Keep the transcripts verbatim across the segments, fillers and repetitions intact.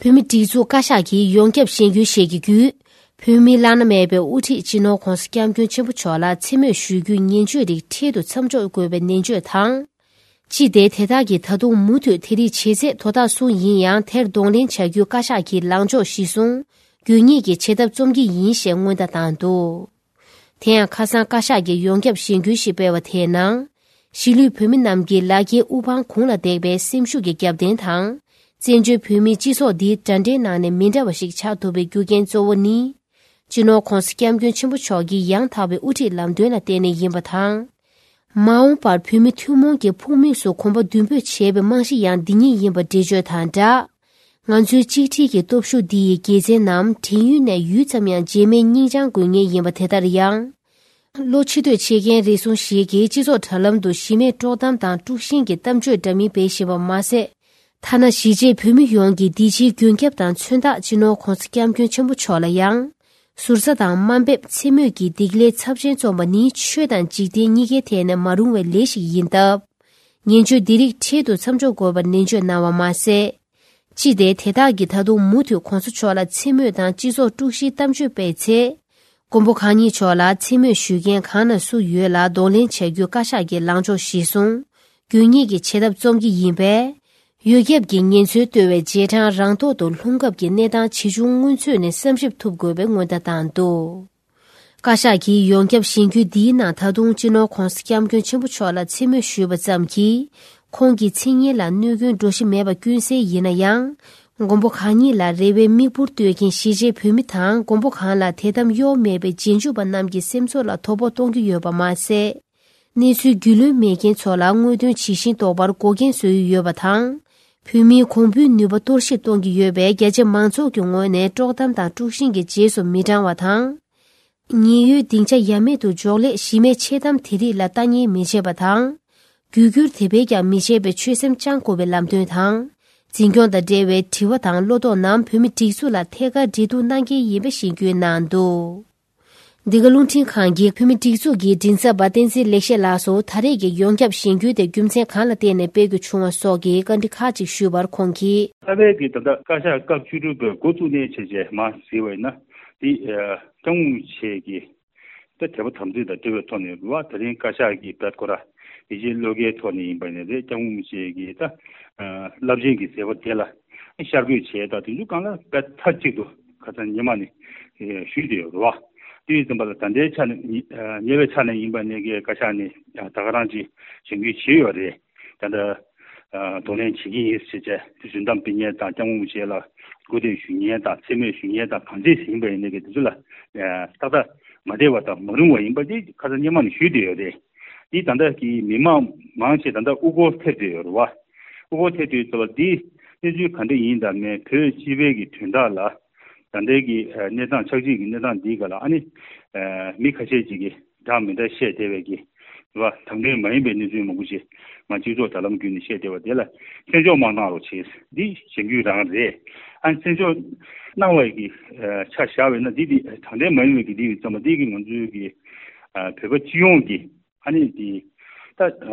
བོད་མིའི་སྒྲིག་འཛུགས་བཀའ་ཤག་གིས་ཡོངས་ཁྱབ་གཞེན་སྐུལ་བྱེད་ཀྱི་བརྒྱུད། བོད་མིའི་བླ་ན་མེད་པའི་དབུ་ཁྲིད་སྤྱི་ནོར་༧གོང་ས་༧སྐྱབས་མགོན་ཆེན་པོ་མཆོག་ལ་མཚན་སྨོད་ཞུ་རྒྱུའི་ངན་བྱུས་རིགས་འཕྲལ་དུ་མཚམས་འཇོག་དགོས་པའི་ནན་བརྗོད་དང་། སྤྱི་བདེ་དེ་དག་གིས་ད་དུང་མུ་མཐུད་དེ་རིགས་བྱེད་ཚད་དོ་བདག་སུ་ཡིན་ཡང་དེར་གདོང་ལེན་བྱ་རྒྱུའི་བཀའ་ཤག་གི་ལངས་ཕྱོགས་གཞིར་བཟུང་། དགོས་ངེས་ཀྱི་བྱེད་ཐབས་རྩོམ་གྱི་ཡིན་ཞེས་སྔོན་བརྡ་བཏང་འདུག་དེ་ཡང་ཁ་སང་བཀའ་ཤག་གིས་ཡོངས་ཁྱབ་གཞེན་སྐུལ་ཞིག་སྤེལ་བ་དེའི་ནང་། གཞིས་ལུས་བོད་མི་རྣམས་ཀྱི་ལག་འཁྱེར་དབུ་འཕང་གུང་ལ་འདེགས་པའི་སེམས་ཤུགས་ཀྱི་རྒྱབ་རྟེན་དང་། བཙན་བྱོལ་བོད་མིའི་སྤྱི་ཚོགས་འདིའི་འདྲ་འདྲའི་ནང་ནས་མི་འདྲ་བ་ཞིག་ཆགས་ཐུབ་པའི་རྒྱུ་རྐྱེན་གཙོ་བོ་ནི། སྤྱི་ནོར་༧གོང་ས་༧སྐྱབས་མགོན་ཆེན་པོ་མཆོག་གི་ཡང་དག་པའི་དབུ་ཁྲིད་ལམ་སྟོན་ལ་བརྟེན་ནས་ཡིན་པ་དང་། མ་འོངས་པར་བོད་མི་ཐུན་མོང་གི་ཕུགས་དམིགས་སུ་གོམ་པ་མདུན་སྤོས་བྱེད་པའི་རྨང་གཞི་ཡང་འདི་ཉིད་ཡིན་པ་འགྲེལ་བརྗོད་དང་སྦྲགས། ང་ཚོའི་གཅིག་སྒྲིལ་གྱི་སྟོབས་ཤུགས་འདི་ཡི་དགེ་མཚན་རྣམས་བྲན་གཡོག་ནས་ཡུད་ཙམ་ཡང་རྗེས་མའི་སྙིང་བཅངས་དགོས་ངེས་ཡིན་པ་དེ་ལྟར་ཡང་། བློ་ཕྱི་གཏོད་བྱེད་མཁན་རེ་ཟུང་ཞིག་གིས་སྤྱི་ཚོགས་དྲ་ལམ་དུ་གཞི་མེད་དཀྲོག་གཏམ་དང་དཀྲུག་ཤིང་གི་གཏམ་བརྗོད་འདྲ་མིན་སྤེལ་བཞིན་པ་མ་ཟད། ཐ་ན་གཞིས་བྱེས་བོད་མི་ཡོངས་ཀྱིས་འདི་ཕྱིའི་མགོན་སྐྱབས་དང་མཚོན་རྟགས་སྤྱི་ནོར་༧གོང་ས་༧སྐྱབས་མགོན་ཆེན་པོ་མཆོག་ལ་ཡང་། ཟུར་ཟ་དང་དམའ་འབེབས་མཚན་སྨོད་ཀྱི་སྡིག་ལས་ཚབས་ཆེན་རྩོམ་པ་ནི་ཆོས་དང་འཇིག་རྟེན་གཉིས་ཀའི་ཐད་ནས་མ་རུང་བའི་ལས་ཤིག་ཡིན་སྟབས། ངན་བྱུས་འདི་རིགས་འཕྲལ་དུ་མཚམས་འཇོག་དགོས་པར་ནན་བརྗོད་གནང་བ་མ་ཟད། སྤྱི་བདེ་དེ་དག་གིས་ད་དུང་མུ་མཐུད་༧གོང་ས་མཆོག་ལ་མཚན་སྨོད་དང་སྤྱི་ཚོགས་དཀྲུག་ཤིང་གཏམ་བརྗོད་སྤེལ་ཚེ། མགོན་པོ་གང་ཉིད་མཆོག་ལ་མཚན་སྨོད་ཞུ་མཁན་གང་ན་སུ་ཡོད་ལ་གདོང་ལེན་བྱ་རྒྱུའི་བཀའ་ཤག་གི་ལངས་ཕྱོགས་གཞིར་བཟུང་། དགོས་ངེས་ཀྱི་བྱེད་ཐབས་རྩོམ་གྱི་ཡིན་པས། ཡོ་ཁྱབ་ཀྱི་ངན་ཚུལ་བརྟོལ་བའི་རྗེས་འབྲང་རང་ཐོག་ཏུ་ལྷུང་སྐབས་ཀྱི་གནས་སྟངས་ཇི་བྱུང་སྔོན་ཚུད་ནས་བསམ་ཞིབ་ཐུབ་དགོས་པའི་སྔོན་བརྡ་བཏང་འདུག་བཀའ་ཤག་གིས་ཡོངས་ཁྱབ་གཞེན་སྐུལ་འདིའི་ནང་ད་དུང་སྤྱི་ནོར་༧གོང་ས་༧སྐྱབས་མགོན་ཆེན་པོ་མཆོག་ལ་མཚན་སྨོད་ཞུས་པ་ཙམ་གྱིས། ཁོང་གི་མཚན་སྙན་ལ་གནོད་སྐྱོན་འགྲོ་གཞི་མེད་པ་ཀུན་གསལ་ཡིན་ན་ཡང་། མགོན་པོ་གང་ཉིད་ལ་རེ་བའི་མིག་འབུར་གཏོད་མཁན་གཞིས་བྱེས་བོད་མི་དང་མགོན་པོ་གང་ལ་དད་དམ་གཡོ་མེད་པའི་རྗེས་འཇུག་པ་རྣམས་ཀྱི་སེམས་ཚོར་ལ་དོ་ཕོག་གཏོང་གི་ཡོད་པ་མ་ཟད། གནས་ཚུལ་རྒྱུས་ལོན་མེད་མཁན་ཚོ་ལ་དངོས་དོན་ཇི་བཞིན་རྟོགས་པར་འགོག་རྐྱེན་བཟོ་ཡི་ཡོད་པ་དང་། བོད་མིའི་གོང་བུའི་ནུས་པ་གཏོར་བཤིག་གཏོང་གི་ཡོད་པས། རྒྱ་ཆེ་མང་ཚོགས་ཀྱི་ངོས་ནས་དཀྲོག་གཏམ་དང་དཀྲུག་ཤིང་གི་རྗེས་སུ་མི་འབྲང་བ་དང་། ཉེན་གཡོལ་སྡིངས་ཆ་ཡ་མེད་དུ་འཇོག་སླད་གཞི་མེད་འཆལ་གཏམ་དེ་རིགས་ལ་ལྟ་ཉན་མི་བྱེད་པ་དང་། རྒྱུ་སྒྱུར་དེ་བས་ཀྱང་མི་བྱེད་པའི་ཆོད་སེམས་བཅང་དགོས་པའི་ལམ་སྟོན་དང་། འཛིན་སྐྱོང་དང་འབྲེལ་བའི་དྲི་བ་དང་བློ་དོགས་རྣམས་བོད་མི་སྒྲིག་འཛུགས་ལ་ཐད་ཀར་འབྲེལ་གཏུག་གནང་གལ་ཡིན་པ་ཞིག་བཀོད་གནང་འདུག་འདི་ག་རླུང་འཕྲིན་ཁང་གིས་བོད་མི་སྒྲིག་འཛུགས་ཀྱི་མགྲིན་ཚབ་པ་བསྟན་འཛིན་ལེགས་བཤད་ལགས་སུ་ད་རེས་ཀྱི་ཡོངས་ཁྱབ་གཞེན་སྐུལ་དེ་རྒྱུ་མཚན་གང་ལ་བརྟེན་ནས་སྤེལ་དགོས་བྱུང་བ་སོགས་ཀྱི་བཀའ་འདྲི་ཁག་ཅིག་ཞུས་པར་ཁོང་གིས། རྩ་བའི་གི་ད་ལྟ་བཀའ་ཤག་སྐབས་བཅུ་དྲུག་པའི་འགོ་བཙུགས་ནས་བྱས་རྗེས་མར་གཟིགས་པ་ཡིན་ན། འདི་སྐྱབས་མགོན་རིན་པོ་ཆེ་གི་ད་དད་པ་དམ་ཚིག་དང་འབྲེལ་བའི་ཐོག་ནས་རེད་བ། ད་རིང་བཀའ་ཤག་གི་བེད་ཁོ་ར་ཡིད་ཆེས་བློ་འགེལ་ཐོག་ནས་ཡིན་པ་ནས་རེད། སྐྱབས་མགོན་རིན་པོ་ཆེ་གི་ད་རླབས་ཆེན་གྱི་མཛད་པ་དེ་ལ་ཤར་བསྐྱོད་བྱས་དང་། དེ་ཚོ་གང་ལ་བེད་མཐའ་གཅིག་ཏུ་ཁ་སང་ཉི་མ་ནས་ཞུས་བསྡད་ཡོད་རེད་བ། དེ་ཡིན་ཙམ་པ་ལ་ད་ལྟའི་ཆ་ནས་ཉེ་ཉེ་བའི་ཆ་ནས་ཡིན་པ་ནས་གི་བཀའ་ཤག་ནས་ད་ག་རང་ཅིག་གཞེན་སྐུལ་བྱས་ཡོད་རེད། ད་ལྟ་གདོང་ལེན་བྱེད་ཀྱི་ཡིན་ཟེར་བྱས་དེ་རྫུན་གཏམ་སྤེལ་མཁན་དང་། སྐྱབས་མགོན་རིན་པོ་ཆེ་ལ་སྐུར་འདེབས་ཞུ་མཁན་དང་། མཚན་སྨོད་ཞུ་མཁན་དང་། གང་ཅི་ཡིན་པ་ཡིན་ནའི་གི་དེ་ཚོ་ལ་ཏག་ཏག་མ་བདེ་བ་དང་མ་རུང་བ་ཡིན་པ་དེ་ཁ་སང་སྔོན་མ་ནས་ཞུས་བསྡད་ཡོད་རེད། དེ་ད་ལྟ་གི་མི་མང་མང་ཆེ་ད་ལྟ་དབུ་སྐོར་ཐེབས་བསྡད་ཡོད་རེད་བ། དབུ་སྐོར་ཐེབས་དུས་ཙམ་པ་འདི་གནས་ཚུལ་ག་འདྲ་ཡིན་དང་མིན། བོད་སྤྱི་པའི་གི་དོན་དག་ལ་ད་ལྟའི་གི་གནས་སྟངས་ཆགས་ཀྱི་གི་གནས་སྟངས་འདིའི་སྒང་ལ་ཨ་ནི་མི་ཁ་ཤས་ཅིག་གིས་འདྲ་མི་འདྲ་བཤད་བསྡད་པའི་གི་རེད་བ། དང་དོན་མ་ཡིན་པའི་གནས་ཚུལ་མང་པོ་ཞིག་མ་སྤྱི་ཚོགས་དྲ་ལམ་བརྒྱུད་ནས་བཤད་བསྡད་པ་དེ་ལ་བཙན་འཇོག་མ་གནང་རོགས་བྱེད། འདི་གཞེན་སྐུལ་རང་རེད། ཨ་ནི་བཙན་འཇོག་གནང་བའི་གི་ཆ་བཞག་པ་ཡིན་ན་འདི་འདི་དྲང་བདེན་མ་ཡིན་པའི་གི་འདི་ཡིན་ཙམ་པ་འདི་གི་ང་ཚོའི་གི་བོད་པ་སྤྱི་ཡོངས་ཀྱི་ཨ་ནི་འདི་ད་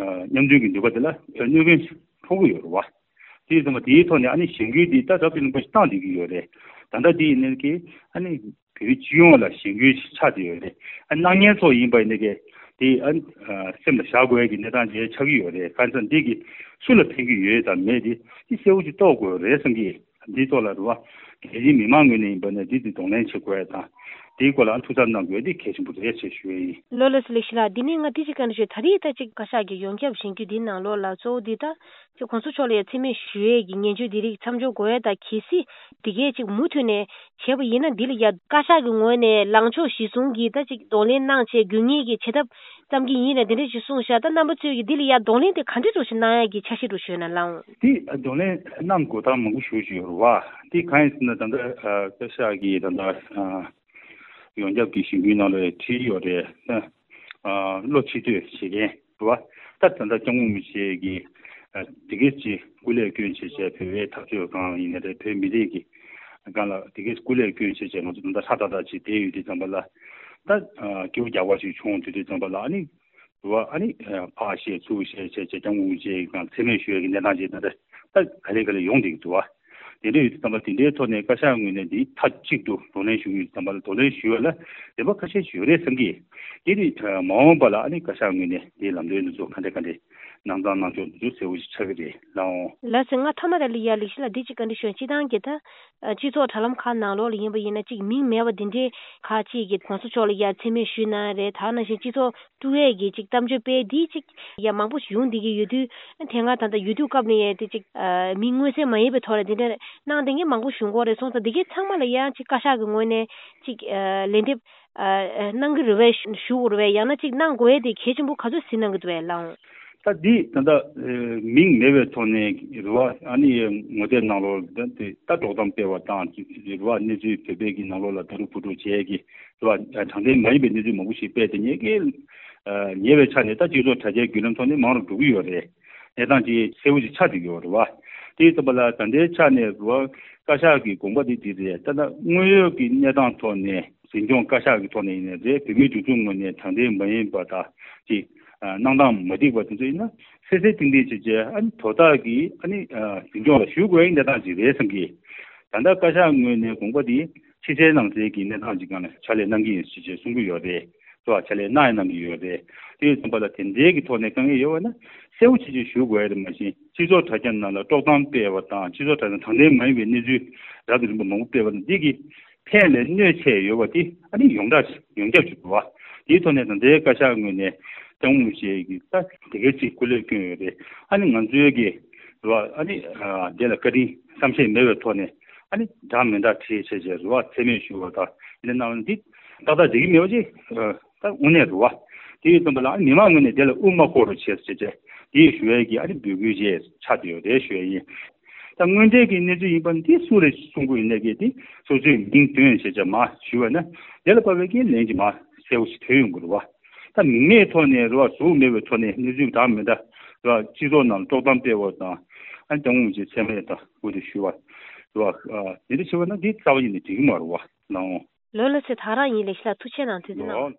མཉམ་མཐུན་གྱི་འདུས་པ་དེ་ལ་གནོད་སྐྱོན་ཕོག་གི་ཡོད་རེད་བ། དེ་ཡིན་ཙམ་པ་དེའི་ཐོག་ནས་ཨ་ནི་གཞེན་སྐུལ་འདི་ད་རབ་ཏུ་བརླིང་པོ་ཞིག་བཏང་བསྡད་ཀྱི་ཡོད་རེད། ད་ལྟ་འདི་ཡིན་ནའི་གི་ཨ་ནི་བོད་པའི་སྤྱི་ཡོངས་ལ་གཞེན་སྐུལ་ཆགས་བསྡད་ཡོད་རེད། ཨ་གནང་མཁན་ཚོ་ཡིན་པ་ཡིན་ནའི་གི་དེ་ཨ་སེམས་ལ་བཞག་དགོས་ཀྱི་གནས་སྟངས་ཅིག་ཆགས་ཀྱི་ཡོད་རེད། གང་ཟེར་ན་འདི་གི་སུ་ལ་ཕན་གྱི་ཡོད་དང་མེད་དེ་དེ་གསལ་པོ་ཅིག་རྟོགས་དགོས་རེད་བསམ་གི། འདིའི་ཐོག་ལ་རེད་བ། རྒྱལ་སྤྱིའི་མི་མང་ངོས་ནས་ཡིན་པ་ན་འདི་འདི་གདོང་ལེན་བྱེད་དགོས་ཡ་དང་། འདིའི་སྐོར་ལ་ཨ་ཐུགས་འཚབ་གནང་དགོས་ཡ་འདི་གལ་ཆེན་པོ་རེད་ཅེས་ཞུ་ཡ་ཡིན། ལགས་ལགས་སོ། ལེགས་ཤིག་ལགས། འདི་ནས་ང་ཏི་ཅིག་བཀའ་འདྲི་ཞུ། ད་རེས་ད་ཅིག་བཀའ་ཤག་གི་ཡོངས་ཁྱབ་གཞེན་སྐུལ་འདིའི་ནང་ལོགས་ལ་གཙོ་བོ་འདི་ད་ཅིག་གོང་ས་མཆོག་ལ་ཡ་མཚན་སྨད་ཞུ་ཡས་ཀྱི་ངན་བྱུས་འདི་རིགས་མཚམས་འཇོག་དགོས་ཡ་དང་། གལ་སྲིད་འདི་གས་ཅིག་མུ་མཐུད་ནས་བྱས་པ་ཡིན་ན་འདི་ལ་ཡ་བཀའ་ཤག་གི་ངོས་ནས་ལངས་ཕྱོགས་གཞིར་བཟུང་གིས་ད་ཅིག་གདོང་ལེན་གནང་བྱས་དགོས་ངེས་ཀྱི་བྱེད་ཐབས་བརྩམ་གྱི་ཡིན་ལ་འདི་འདྲ་ཞིག་གསུངས་ཤག་ད་རྣམ་པ་ཚོས་ཀྱིས་འདི་ལ་ཡ་གདོང་ལེན་དེ་ག་འདྲ་འདྲ་ཞིག་གནང་ཡ་གི་འཆར་གཞི་འདྲ་ཞིག་ཡོད་ན་ལགས། འདི་གདོང་ལེན་གནང་དགོས་སྟངས་མང་པོ་ཞེ་པོ་ཅིག་ཡོད་རེད་བ། འདི་གང་ཡིན་ཟེར་ན་ད་ལྟ་བཀའ་ཤག་གིས་ད་ལྟ་ཡོངས་ཁྱབ་ཀྱི་གཞེན་སྐུལ་ནང་ལ་བྲིས་ཡོད་རེད། བློ་ཕྱི་གཏོད་བྱེད་མཁན་རེད་བ། ད་ད་ལྟ་སྐྱབས་མགོན་རིན་པོ་ཆེ་གིས་དེ་གས་ཅིག་སྐུ་ལས་བསྐྱོན་བྱས་བྱས་བོད་པའི་འཐབ་རྩོད་སྒང་ཡིན་ན་རེད། བོད་མི་རིགས་ཀྱི་སྒང་ལ་དེ་གས་སྐུ་ལས་བསྐྱོན་བྱས་བྱས་ང་ཚོ་ད་ལྟ་ཧྲ་ཏག་ཏག་ཅིག་བསྡད་ཡོད་དུས་ཙམ་པ་ལ། ད་སྐྱོ་རྒྱག་པ་ཞིག་བྱུང་དུས་དུས་ཙམ་པ་ལ་ཨ་ནི་འདུག་བ། ཨ་ནི་ཕར་བཤད་ཚུར་བཤད་བྱས་བྱས་སྐྱབས་མགོན་རིན་པོ་ཆེའི་སྒང་མཚན་སྨད་ཞུ་ཡས་ཀྱི་གནས་སྟངས་ཅིག་ད་ལྟ་ད་ག་ལེ་ག་ལེ་ཡོང་བསྡད་ཀྱི་འདུག་བ། དེ་འདྲ་ཡོད་དུས་ཙམ་པ་དེ་འདྲའི་ཐོག་ནས་བཀའ་ཤག་ངོས་ནས་འདི་མཐའ་གཅིག་ཏུ་གདོང་ལེན་ཞུ་གི་ཡོད་དུས་ཙམ་པ་ལ་གདོང་ལེན་ཞུ་བ་ལ་འདོད་པ་ཁ་ཤས་ཤིག་ཡོད་རེད་བསམ་གི། དེ་ནི་མ་འོངས་པ་ལ་ཨ་ནི་བཀའ་ཤག་ངོས་ནས་འདིའི་ལམ་སྟོན་འདི་ཚོ་ག་འདྲ་ག་འདྲ་གནང་སྟངས་གནང་ཕྱོགས་འདི་ཚོ་གསལ་བོ་ཞིག་ཆགས་ཀྱི་རེད་ལགས་འོང་། ལགས་སོ། ང་མཐའ་མ་དེ་ལ་ཡ་ལེགས་བཤད་ལགས་འདི་གཅིག་བཀའ་འདྲི་ཞུ། སྤྱིར་བཏང་གི་ད་སྤྱི་ཚོགས་དྲ་ལམ་ཁག་ནང་ལོགས་ལ་ཡིན་པ་ཡིན་ན་གཅིག་མིང་མེད་པ་འདི་འདྲའི་ཁག་ཅིག་གི་གོང་ས་མཆོག་ལ་ཡ་མཚན་སྨད་ཞུས་གནང་རེད། ད་ནང་བཞིན་སྤྱི་ཚོགས་དཀྲུག་ཡས་ཀྱི་ཅིག་གཏམ་བརྗོད་སྤེལ་འདི་ཅིག་ཡ་མང་པོ་ཡོང་བསྡད་ཀྱི་ཡོད་དུས། དེ་སྔ་ད་ལྟ་ཡུ་ཊུབ་སྐབས་ནས་ཡ་དེ་ཅིག་མིང་མངོན་གསལ་མ་ཡིན་པའི་ཐོག་ལ་དེ་འདྲ་གནང་བསྡད་མཁན་མང་པོ་བྱུང་གི་རེད་སོང་ཙང་། དེ་གའི་ཚང་མ་ལ་ཡང་ཅིག་བཀའ་ཤག་གི་ངོས་ནས་ཅིག་ལན་འདེབས་གནང་གི་རེད་པས། ཞུ་དགོས་རེད་པས། ཡང་ན་ཅིག་གནང་དགོས་ཡས་དེ་གལ་ཆེན་པོ་ག་ཚོད་གཟིགས་གནང་གི་འདུག་པས་ལགས་འོང་། ད་འདི་ད་ལྟ་མིང་མེད་པའི་ཐོག་ནས་རེད་པ། ཨ་ནི་ངོ་དེབ་ནང་ལོགས་ད་དེ་ད་དཀྲོག་གཏམ་སྤེལ་བ་དང་རེད་པ། གནས་ཚུལ་བོད་པའི་གི་ནང་ལོགས་ལ་ད་རུ་བུ་ཕྲུག་བྱས་ཀྱི་རེད་པ། དྲང་བདེན་མ་ཡིན་པའི་གནས་ཚུལ་མང་པོ་ཞིག་སྤེལ་ཏེ་ཉེས་སྐལ་ཉེས་པའི་ཆ་ནས་ད་སྤྱི་ཚོགས་དྲ་རྒྱའི་བརྒྱུད་ལམ་ཐོག་ནས་མང་རུ་འགྲོ་གི་ཡོད་རེད། གནས་སྟངས་ཅིག་གསལ་བོ་ཞིག་ཆགས་བསྡད་ཀྱི་ཡོད་རེད་པ། དེ་ཡིན་ཙམ་པ་ལ་ད་ལྟའི་ཆ་ནས་རེད་པ། བཀའ་ཤག་གི་དགོངས་པ་དེ་འདི་རེད། ད་ལྟ་དངོས་ཡོད་ཀྱི་གནས་སྟངས་ཐོག་ནས་འཛིན་སྐྱོང་བཀའ་ཤག་གི་ཐོག་ནས་ཡིན་ནའི་རེད། བོད་མིའི་སྒྲིག་འཛུགས་ངོས་ནས་དྲང་བདེན་མ་ཡིན་པ་དང་ཅིག་གནང་སྟངས་མ་འགྲིག་པ་དེ་ཚོ་ཡིན་ན་གསལ་གསལ་ཐིང་ཐིང་བྱས་བྱས་ཨ་ནི་དོ་བདག་གིས་ཨ་ནི་འཛིན་སྐྱོང་ལ་ཞུ་དགོས་ཡ་གནས་སྟངས་ཅིག་རེད་བསམ་གི། ད་ལྟ་བཀའ་ཤག་ངོས་ནས་དགོངས་པ་དེ་ཕྱི་གསལ་ནང་གསལ་གྱི་གནས་སྟངས་ཅིག་སྒང་ལ་ཕྱག་ལས་གནང་གི་ཡིན་ཞེས་བྱས་གསུང་གི་ཡོད་རེད། ལྟ་བ་ཕྱག་ལས་གནང་ཡ་གནང་གི་ཡོད་རེད། དེ་ཡིན་ཙམ་པ་ལ་དེ་འདྲའི་གི་ཐོག་ནས་དཀའ་ངལ་ཡོད་པ་ན་གསལ་བོ་ཅིག་ཅིག་ཞུ་དགོས་ཡ་རེད། མ་གཞི་སྤྱི་ཚོགས་དྲ་རྒྱ་ནང་ལ་དཀྲོག་གཏམ་སྤེལ་བ་དང་སྤྱི་ཚོགས་དྲ་རྒྱ་དྲང་བདེན་མ་ཡིན་པའི་གནས་ཚུལ་རབ་དང་རིམ་པ་མང་པོ་སྤེལ་བ་དང་འདི་གི་ཕན་ལས་གནོད་ཆེ་ཡོད་པ་དེ་ཨ་ནི་ཡོངས་གྲགས་ཡོངས་ཁྱབ་ཅིག་འདུག་བ། དེའི་ཐོག་ནས་ད་ལྟའི་བཀའ་ཤག་ངོས་ནས་ལྕམ་སྐུ་ཞིག་གིས་ད་དེ་གའི་ཅིག་སྐུ་ལས་བསྐྱོན་ཡོད་རེད། ཨ་ནི་ང་ཚོའི་གི་རེད་བ། ཨ་ནི་དེ་ལ་བཀའ་དྲིན་བསམ་ཤེས་མེད་པའི་ཐོག་ནས་ཨ་ནི་འདྲ་མི་འདྲ་བྲིས་བྱས་བྱས་རེད་བ། མཚན་སྨད་ཞུ་བ་དང་འདི་གནང་བ་འདི་ཏག་ཏག་བསྡད་ཀྱི་མེད་པ་ཅིག་ད་དངོས་གནས་རེད་བ། དེ་ཡིན་ཙམ་པ་ལ་ཨ་ནི་མི་མང་ངོས་ནས་དེ་ལ་དབུ་མ་ཤོར་རོགས་བྱས་བྱས་བྱས་དེ་ཞུ་ཡས་ཀྱི་ཨ་ནི་འབོད་སྐུལ་བྱས་ཆགས་བསྡད་ཡོད་རེད་ཞུ་ཡས་ཡིན། ད་དངོས་འབྲེལ་གྱི་གནས་ཚུལ་ཡིན་པ་འདི་སུ་རེད་གསུང་གི་ཡོད་ནས་གི་དེ་སོ་སོའི་མིང་འདོན་བྱས་བྱས་མ་ཞུ་བ་ན་དེ་ལ་དཔག་པའི་གི་ལན་གྱི་མ་གསལ་བོ་ཞིག་ཐོན་ཡོང་གི་རེད་བ། ད་མིང་མེད་ཐོག་ནས་རེད་བ། གཟུགས་མེད་པའི་ཐོག་ནས་གནས་ཚུལ་འདྲ་མི་འདྲ་རེད་བ། སྤྱི་ཚོགས་ནང་དཀྲོག་གཏམ་སྤེལ་བ་དང་ཨ་ནི་དང་པོ་ཅིག་མཚན་སྨད་དང་འོ་དེ་ཞུ་བ་རེད་བ། དེ་འདྲ་བྱས་པ་ན་འདི་རྩ་བ་ཉིད་ནས་འགྲིག་གི་མ་རེད་བ་ལགས་འོང་། ལགས་ལགས་སེ། ད་རང་ཡིན། ལེགས་བཤད་ལགས་ཐུགས་རྗེ་གནང་།